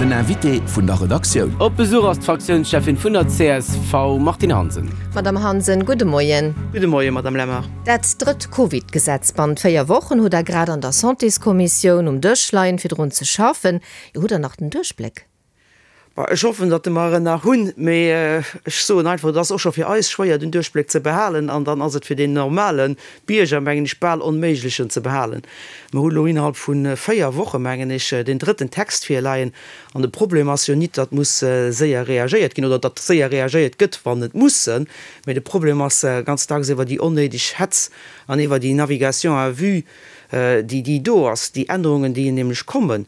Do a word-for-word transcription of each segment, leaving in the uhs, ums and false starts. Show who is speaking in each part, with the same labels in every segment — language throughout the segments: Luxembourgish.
Speaker 1: Den Invité vun der Redaktioun.
Speaker 2: Op Besuch ass d'Fraktiounscheffin vun der C S V, Martine Hansen.
Speaker 3: Madame Hansen, gudde Moien.
Speaker 4: Gudde Moien, Madame Lemmer.
Speaker 3: Dat drëtt Covid-Gesetz bannent véier Wochen hutt der grad an der Santéskommissioun um Dësch leien, fir drun ze schaffen. Jo, hutt der nach den Duerchbléck?
Speaker 4: Ech hoffen, datt mer en nach hunn, mee ech soen einfach, et ass och scho fir eis schwéier den Duerchbléck ze behalen an dann ass et fir den normale Bierger, mengen ech, bal onméiglech en ze behalen. Mer hu lo innerhalb vu véier Woche, mengen ech, den drëtten Text virleien an de Problem ass jo nit, datt muss séier reagéiert ginn oder datt séier reagéiert gëtt, wann et muss sinn, mee de Problem ass ganz dacks iwwer déi onnéideg Hetz an iwwer déi Navigation à vue, déi déi do ass. Déi Ännerungen, déi nämlech kommen,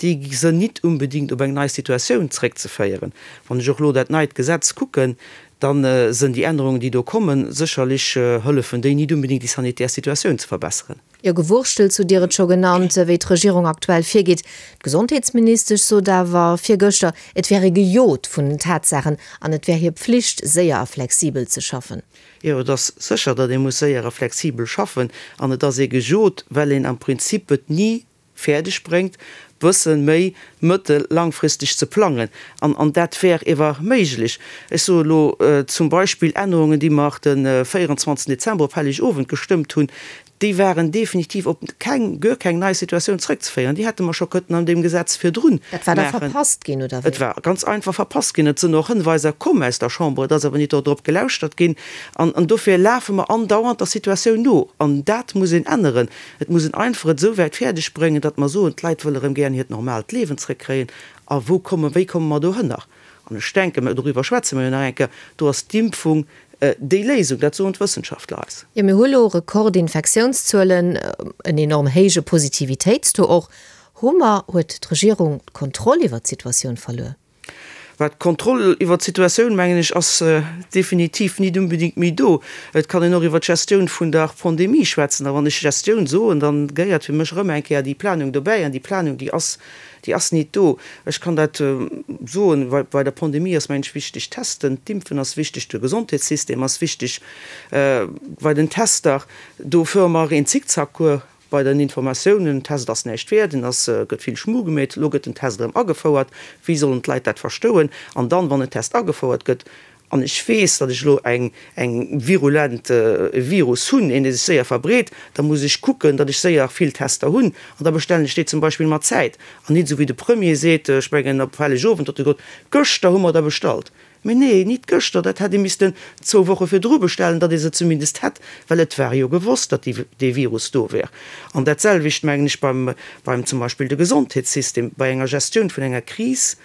Speaker 4: déi sinn nit unbedingt op eng nei Situatioun zréckzeféieren. Wann ech och lo dat neit Gesetz kucken, dann sinn déi Ännerungen, déi do kommen, sécherlech hëllefen déi nit unbedingt déi sanitär Situatioun ze verbesseren.
Speaker 3: Jo, Gewurschtels hutt Dir et scho genannt, wéi d'Regierung aktuell virgeet. D'Gesondheetsministesch sot awer virgëschter, et wär ee gejot vun den Tatsaachen an et wär hir Pflicht, séier a flexibel ze schaffen.
Speaker 4: Jo, et ass sécher, datt ee muss séier a flexibel schaffen an et ass ee gejot, well een am Prinzip et ni fäerdeg bréngt, bësse méi mëttel langfristeg ze plangen. An, an dat wär ewer méiglech. Ech soe lo zum Beispill Ännerungen, déi mer de véierundzwanzegsten Dezember op Hellegowend gestëmmt hunn, déi waren definitiv op keng, guer keng nei Situatioun zréckzeféieren. Déi hätte mer scho kënnen an deem Gesetz virdrun
Speaker 3: Dat war da
Speaker 4: maachen.
Speaker 3: verpasst ginn, oder wéi?
Speaker 4: Et war ganz einfach verpasst ginn. Et sinn och Hënweiser komm aus der Chamber, et ass awer nit dodrop gelauschtert ginn. An, an dofir lafe mer andauernd der Situatioun no. An dat muss een änneren. Et muss een einfach et esou wäit fäerdeg bréngen, datt mer soen, d'Leit wëlle rëm gären hiert normaalt Liewen zréckkréien. A wou kommen, wéi komme mer dohënner? An ech denken, mä doriwwer schwätze mer jo nach eng Kéier, do ass d'Impfung déi Léisung, dat soen d'Wëssenschaftler eis.
Speaker 3: Jo, mir hu lo Rekordinfektiounszuelen, en enorm héije Positivitéitstaux och. Hu mer, huet d'Regierung d'Kontroll iwwer d'Situatioun verluer?
Speaker 4: Wat d'Kontroll iwwer d'Situatioun, mengen ech, ass definitiv nit unbedingt méi do. Et kann een och iwwer d'Gestioun vun der Pandemie schwätzen. A wann ech Gestioun soen, dann gehéiert fir mech erëm eng Kéier déi Planung dobäi. An déi Planung, déi ass, déi ass nit do. Ech kann dat soen, bei, bei der Pandemie ass, mengen ech, wichteg testen, d'Impfen ass wichteg, de Gesondheetssystem ass wichteg. Bei den Tester, do fuere mer een Zickzackcours bei den Informatiounen. Den Test ass näischt wäert, en ass, gëtt vill Schmu gemeet, elo gëtt den Test erëm agefouert. Wéi sollen d'Leit dat verstouen? An dann, wann en Test agefouert gëtt, an ech weess, datt ech elo eng, eng virulent e Virus hunn, een dee sech séier verbreet, da muss ech kucken, datt ech séier vill Tester hunn an da bestellen ech déi zum Beispill mat Zäit. An nit esou wéi de Premier seet, ech mengen op Hellegowend huet e gesot, gëschter hu mer der bestallt. Mee nee, nit gëschter, dat hätt ee missten zwou Woche virdru bestellen, datt ee se zumindest hätt, well et war jo gewosst, datt déi, dee Virus do wär. An dat selwecht mengen ech beim, beim zum Beispill de Gesondheetssystem. Bei enger Gestioun vun enger Kris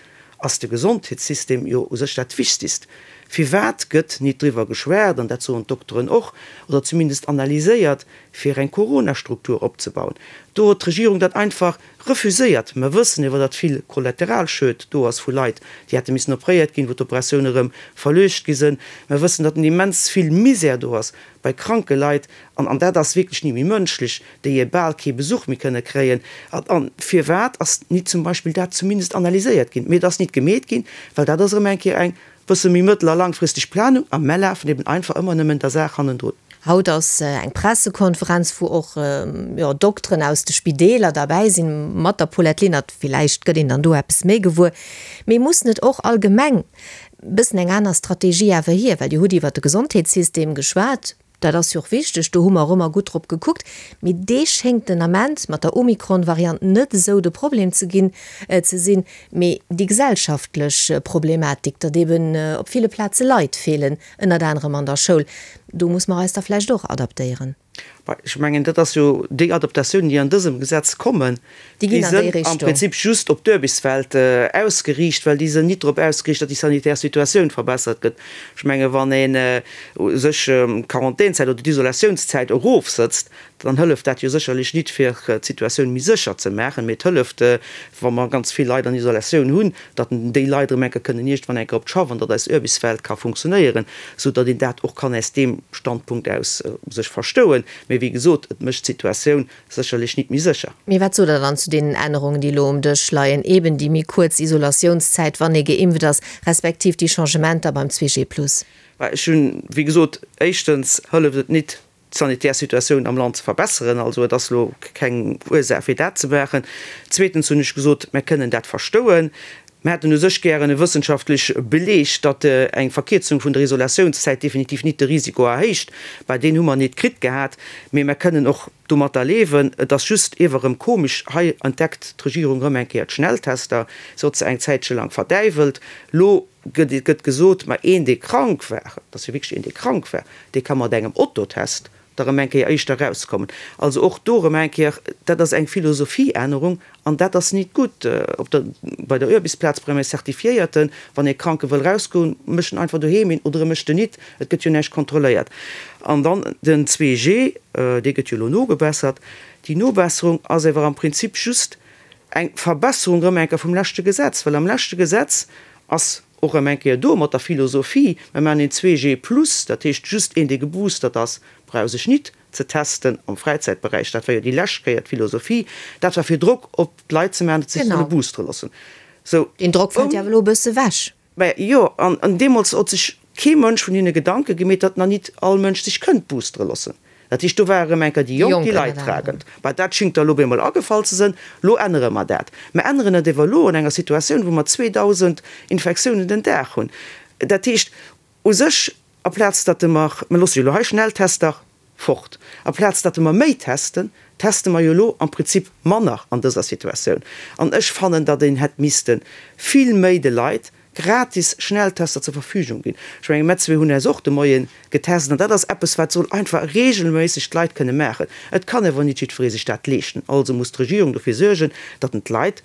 Speaker 4: ass de Gesondheetssystem jo u sech dat Wichtigst. Firwat gëtt nit driwwer geschwat, an dat soen d'Dokteren och, oder zumindest analyséiert, fir eng Corona-Struktur opzebauen? Do huet d'Regierung dat einfach refuséiert. Mer wëssen iwwer, datt vill Kollateralschued do ass vu Leit, déi hätte missen opréiert ginn, wou d'Operatioune rëm verluecht gi sinn. Mer wëssen, datt immens vill Misär do ass bei kranke Leit, an, an dat ass wierklech ni méi mënschlech, déi e bal kee Besuch méi kënne kréien. An, an firwat ass nit zum Beispill dat zumindest analyséiert ginn? Mee et ass nit gemeet ginn, well dat ass erëm eng Kéier eng bësse méi mëttel a langfristeg Planung, a mer lafen eben einfach ëmmer nëmmen der Saach hannendrun.
Speaker 3: Haut ass eng Pressekonferenz, wou och, jo, Dokteren aus de Spideeler derbäi sinn, mat der Paulette Lenert. Villäicht gëtt een dann do eppes méi gewuer. Mee muss net och allgemeng bëssen eng aner Strategie awer hier? Well Dir hutt iwwert de Gesondheetssystem geschwat, dat ass jo och wichteg, do hu mer och ëmmer gutt drop gekuckt. Mee dee schéngt den Ament mat der Omikron-Variant net esou de Problem ze ginn, ze sinn. Mee déi gesellschaftlech Problematik, datt eben op ville Plaze Leit feelen, ënnert anerem an der Schoul, do muss mer eis da vläicht och adaptéieren.
Speaker 4: Ech mengen, dat ass jo déi Adaptatiounen, déi an dësem Gesetz kommen,
Speaker 3: déi
Speaker 4: déi
Speaker 3: ginn an déi
Speaker 4: sënn am
Speaker 3: Richtung.
Speaker 4: Prinzip just op d'Aarbechtswelt ausgeriicht, well déi sënn nit drop ausgeriicht, datt déi sanitär Situatioun verbessert gëtt. Ech menge wann ee sech d'Quarantänzäit oder d'Isolatiounszäit erofsëtzt, dann hëlleft dat jo sécherlech nit fir d'Situatioun méi sécher ze maachen, mee et hëlleft, wa mer ganz vill Leit an Isolatioun hunn, datt déi Leit erëm eng Kéier kënnen iergendwann eng Kéier op d'Schaff an datt eis Aarbechtswelt ka funktionéieren, sou datt een dat och kann aus deem Standpunkt aus sech verstouen. Mee wéi gesot, et mécht d'Situatioun sécherlech nit méi sécher.
Speaker 3: Mee wat sot Der dann zu deenen Ännerungen, déi elo um Dësch leien, eben déi méi kuerz Isolatiounszäit, wann ee geimpft ass, respektiv déi Changementer beim zwee G plus?
Speaker 4: Ech hunn, wéi gesot, éischtens hëlleft et nit, d'sanitär Situatioun am Land ze verbesseren, also et ass elo keng Ursaach fir dat ze maachen. Zweetens hunn ech gesot, mer kënnen dat verstouen, Mir hätten u sech gären e wëssenschaftlech Beleg, datt eng Verkierzung vun der Isolationszäit definitiv nit de Risiko erhéicht. Bah, deen hu mer nit kritt gehat. Mee mer kënnen och domatter liewen. Et ass just iewer erëm komesch, hei entdeckt d'Regierung erëm eng Kéier d'Schnelltester. Se huet se eng Zäitche laang verdäiwelt. Lo gëtt gëtt gesot, ma een, dee krank war, et ass jo wierklech een, dee krank war, dee ka mat engem Autotest da erëm eng Kéier éischter erauskommen. Also och do erëm eng Kéier, dat ass eng Philosophieännerung an dat ass nit gutt. Op der, bei der Uarbechtsplaz brauch een e Zertifiéierten, wann ee Kranke wëll erausgoen, mécht en einfach doheem een oder e mécht en nit, et gëtt jo näischt kontrolléiert. An dann den zwee G, dee gëtt jo elo nogebessert. Déi Nobesserung ass awer am Prinzip just eng Verbesserung erëm eng Kéier vum leschte Gesetz, well am leschte Gesetz ass och erëm eng Kéier do mat der Philosophie, mer maachen een zwee G plus, dat heescht just een, dee geboostert ass, brauch sech nit ze testen am Fräizäitberäich. Dat war jo déi lescht Kéier d'Philosophie. Dat war fir Drock op d'Leit ze maachen, datt se sech solle boostere loossen.
Speaker 3: Sou. Deen Drock fält jo awer elo e bësse wech.
Speaker 4: Mä jo, an deemools hott sech kee Mënsch vun hinne Gedanke gemeet, datt nach nit all Mënsch sech kënnt boostere loossen. Dat heescht, do war erëm eng Kéier déi Jonk, déi Leidtragend. Mä dat schingt der elo op eemol agefall ze sënn. Lo ännere mer dat. Mer änneren et ewer elo an enger Situatioun, wou mer zweedausend Infektiounen den Dag hunn. Dat heescht u sech, aplaz datt mer, mer loosse jo elo hei Schnelltester fort, aplaz datt mer méi testen, teste mer jo elo am Prinzip manner an dëser Situatioun. An ech fannen, datt een hätt misste vill méi de Leit gratis Schnelltester zur Verfügung ginn. Ech mengen, mer zwee hunn eis och de Moie getest an dat ass eppes, wat soll einfach regelméisseg d'Leit kënne maachen. Et kann awer nit jiddweree sech dat leeschten. Also muss d'Regierung dofir suergen, datt en d'Leit,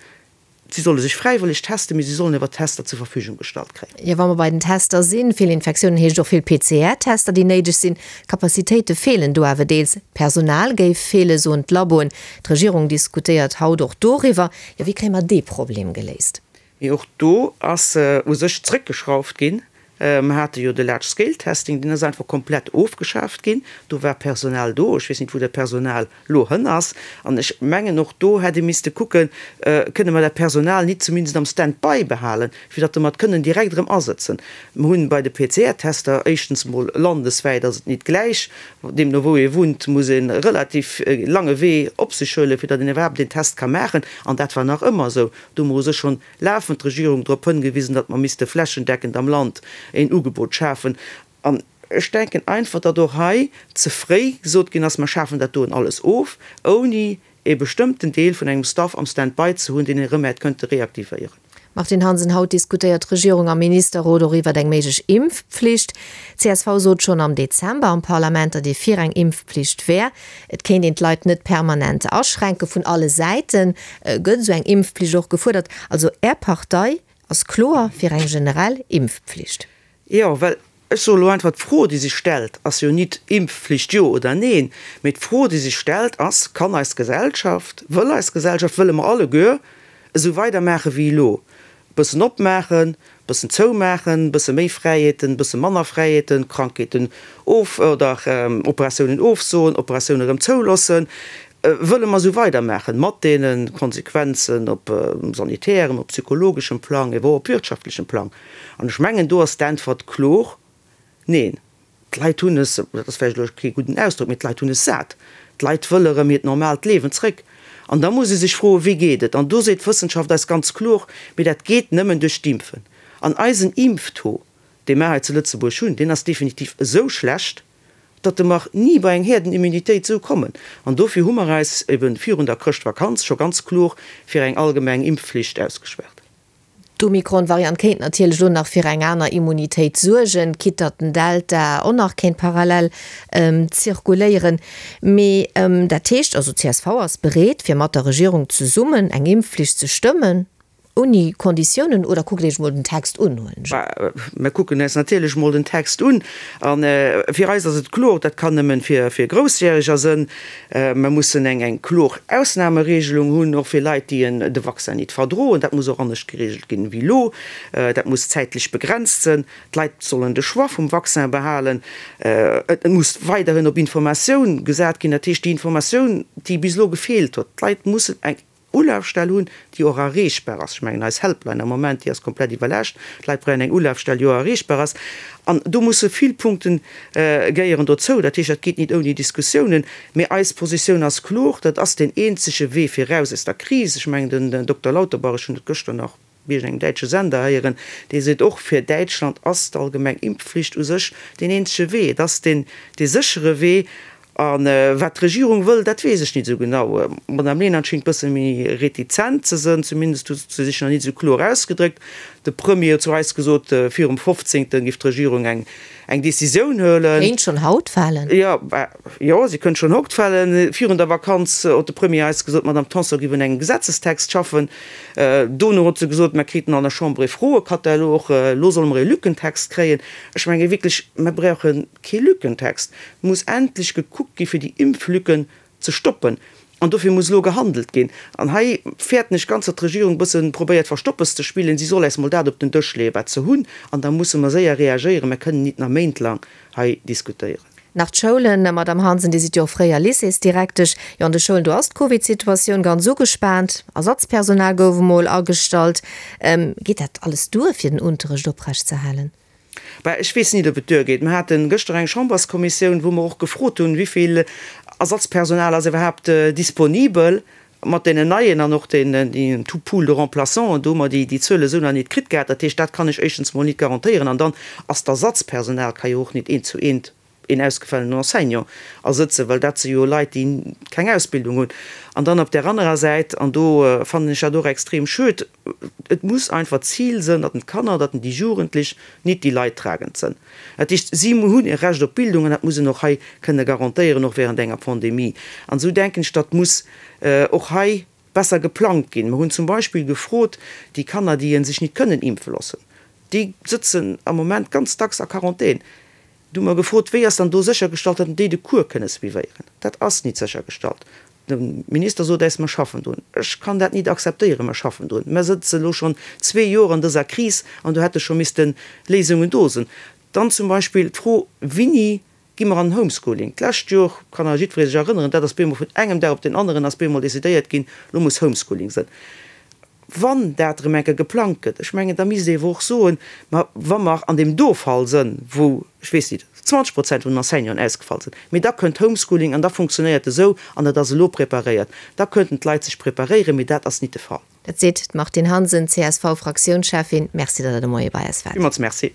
Speaker 4: si solle sech fräiwëlleg testen, mee si sollen awer Tester zur Verfügung gestallt kréien.
Speaker 3: Jo, wa mer bei den Tester sinn, vill Infektiounen heescht och vill P C R-Tester, déi néideg sinn. Capacitéite feelen do awer deels. Personal géif feelen, soen d'Laboen. D'Regierung diskutéiert haut och doriwwer. Jo, wéi kréie mer dee Problem geléist?
Speaker 4: Mee och do ass u sech zréckgeschrauft ginn. Mer hate jo de Large Scale Testing, deen ass einfach komplett ofgeschaaft ginn. Do war Personal do. Ech weess net, wou dat Personal elo hënn ass. An ech mengen, och do hätt ee misste kucken, Kënne mer dat Personal nit zumindest am Stand-by behalen, fir datt mer et kënnen direkt erëm asëtzen? Mer hunn bei de P C R-Tester éischtens emol landeswäit ass et nit gläich. Deemno wou ee wunnt, muss ee relativ lange Wee op sech huelen, fir datt een iwwerhaapt een Test ka maachen. An dat war nach ëmmer esou. Do hu mer u sech schonn lafend d'Regierung drop hëngewisen, datt mer misste flächendeckend am Land een Ugebot schafen. An ech denken einfach, datt och hei ze fréi gesot ginn ass, mer schafen dat doen alles of, ouni ee bestëmmten Deel vun engem Staff am Stand-by ze hunn, deen een erëm hätt kënnte reaktivéieren.
Speaker 3: Martine Hansen, Haut diskutéiert d'Regierung am Ministerrot och iwwert eng méiglech Impfpflicht. Csv sot schonn am Dezember am Parlament, datt ee fir eng Impfpflicht wär. Et kéint een d'Leit net permanent aschränken. Vun alle Säite gëtt esou eng Impfpflicht och gefuerdert. Also Är Partei ass kloer fir eng generell Impfpflicht.
Speaker 4: Jo, well ech soe lo einfach, d'Fro, déi sech stellt, ass jo nit Impfpflicht jo oder neen, mee d'Fro, déi sech stellt, ass, Kann eis Gesellschaft, wëll eis Gesellschaft, wëlle mer alleguer esou weidermaache wéi elo, bëssen opmaachen, bëssen zoumaachen, bësse méi Fräiheeten, bësse manner Fräiheeten, Krankheeten of oder Operatiounen ofsoen, Operatioune rëm zouloossen, wëlle mer esou weidermaachen, mat deene Konsequenzen op sanitärem, op psychologeschem Plang, ewer och op wirtschaftlechem Plang? An ech mengen, do ass d'Äntwert kloer, Neen. D'Leit hunn es, dat ass vläicht elo kee gudden Ausdrock, mee d'Leit hunn es sat. D'Leit wëlle erëm hiert normaalt Liewen zréck. An da muss ee sech froen, Wéi geet et? An do seet d'Wëssenschaft eis ganz kloer, Mee dat geet nëmmen duerch d'Impfen. An eisen Impftaux, dee mer hei zu Lëtzebuerg hunn, deen ass definitiv esou schlecht, datt mer ni bei eng Herdenimmunitéit esou kommen. An dofir hu mer eis ebe virun der Chrëschtvakanz scho ganz kloer fir eng allgemeng Impfflicht ausgeschwat.
Speaker 3: D'Omikron-Variant kéint natierlech elo nach fir eng aner Immunitéit suergen, quitte datt den Delta och nach kéint parallel zirkuléieren. Mee dat heescht also, csv ass bereet, fir mat der Regierung zesummen eng Impfflicht ze stëmmen. Ouni Konditiounen, oder kuckt Iech mol den Text un, huelen ech
Speaker 4: un. Mer kucken eis natierlech mol den Text un. A fir eis ass et kloer, dat kann nëmmen fir Groussjäreger sënn. Mer mussen eng eng kloer Ausnameregelung hunn, och fir Leit, déi de Vaccin nit verdroen. Dat muss och anescht geregelt ginn wéi elo. Dat muss zäitlech begrenzt sënn. D'Leit sollen de Choix vum Vaccin behalen. Et muss weiderhin op Informatioun gesat ginn, dat heescht déi Informatioun, déi bis elo gefeelt huet. D'Leit mussen eng Ulafstell hunn, déi och erreechbar ass. Ech mengen, eis Helpline am Moment, déi ass komplett iwwerlaascht. D'Leit brauchen eng Ulafstell, déi och erreechbar ass. An do musse vill Punkte gehéieren dozou. Dat heescht, dat geet nit ouni Diskussiounen. Mee eis Positioun ass kloer, Dat ass deen eenzege Wee fir eraus aus der Kris. Ech mengen, den Dokter Lauterbach, ech hunn et gëschter nach iergendengem däitsche Sender héieren, dee seet och, fir Däitschland ass d'allgemeng Impfflicht u sech deen eenzege Wee, et ass deen dee séchere Wee. A wat d'Regierung wëll, dat weess ech nit esou genau. D'Madame Lenert schéngt bësse méi retizent ze sënn, zumindest huet se sech nach nit esou kloer ausgedréckt. De Premier huet zu eis gesot, virum fofzéngte giff d'Regierung eng eng Decisioun huelen.
Speaker 3: Kéint schonn haut falen.
Speaker 4: Jo, jo, si kënnt schonn haut falen. Virun der Vakanz huet de Premier eis gesot, d'Madame Tanson giff un engem Gesetzestext schaffen. Dono huet se gesot, mer kriten an der Chamber ee Froekatalog, elo solle mer ee Lückentext kréien. Ech menge wierklech, mer brauche kee Lückentext. Et muss endlech gekuckt gi fir déi Impflücken ze stoppen. An dofir muss elo gehandelt ginn. An hei fäerten ech ganz, datt d'Regierung e bësse probéiert Verstoppes ze spillen. Si soll eis mol dat op den Dësch leeën, wat se hunn, an da musse mer séier reagéieren. Mer kënnen nit nach méintlang hei diskutéieren.
Speaker 3: Nach d'Schoulen, Madamm Hansen, Dir sidd jo och fréier Lycéesdirektesch. Jo, an de Schoulen, do ass d'Covidsituatioun ganz ugespaant. Ersatzpersonal gouf emol agestallt. Geet dat alles duer, fir den Unterrecht oprecht ze halen?
Speaker 4: Bah, ech weess nit, ob et duergeet. Mer hate gëschter eng Chamberskommissioun, wou mer och gefrot hunn, wéi vill Ersatzpersonal ass iwwerhaapt disponibel mat deenen neien an och deenen tout pool de remplaçants. Do hu mer déi Zuele esou nach nit kritt gehat. Dat heescht, dat kann ech éischtens mol nit garantéieren. An dann ass d'Ersatzpersonal ka jo och nit eent zu eent een ausgefallenen Enseignant ersëtzen, well dat si jo Leit, déi keng Ausbildung hunn. An dann op där anerer Säit, an do fannen ech dat och extrem schued, et muss einfach d'Zil sënn, datt d'Kanner, datt déi Jugendlech nit déi Leidtragend sënn. Dat heescht, si hunn e Recht op Bildung an dat muss een och hei kënne garantéieren, och während enger Pandemie. An esou denken ech, datt muss och hei besser geplangt ginn. Mer hunn zum Beispill gefrot, déi Kanner, déi sech nit kënnen impfe loossen, déi sëtzen am Moment ganz dacks a Quarantän. Du hu mer gefrot, wéi ass dann do séchergestallt, datt déi de Cours kënne suivéieren. Dat ass nit séchergestallt. De Minister sot eis, mer schaffen drun. Ech kann dat nit akzeptéieren, mer schaffen drun. Mer sëtze lo schonn zwee Joer an dëser Kris an do hätte scho misste Léisungen do sinn. Dann zum Beispill d'Fro, Wéini gi mer an den Homeschooling? D'lescht Joer, kann nach jiddweree sech erënneren, dat ass bemol vun engem Dag op deen aneren ass bemol decidéiert ginn, lo muss Homeschooling sinn. Wann dat erëm eng Kéier geplangt gëtt, ech mengen, da misst ee ewer och soen, ma wa mer an deem do Fall sënn, wou, ech weess nit, zwanzeg Prozent vun den Enseignanten ausgefall sinn, mee da kënnt Homeschooling an da funktionéiert esou an dat ass elo preparéiert, da könnten d'Leit sech preparéieren, mee dat ass nit de Fall.
Speaker 3: Dat seet d'Martine Hansen, C S V-Fraktiounscheffin. Merci, datt Der de Moie bei eis waart.
Speaker 4: Villmools Merci.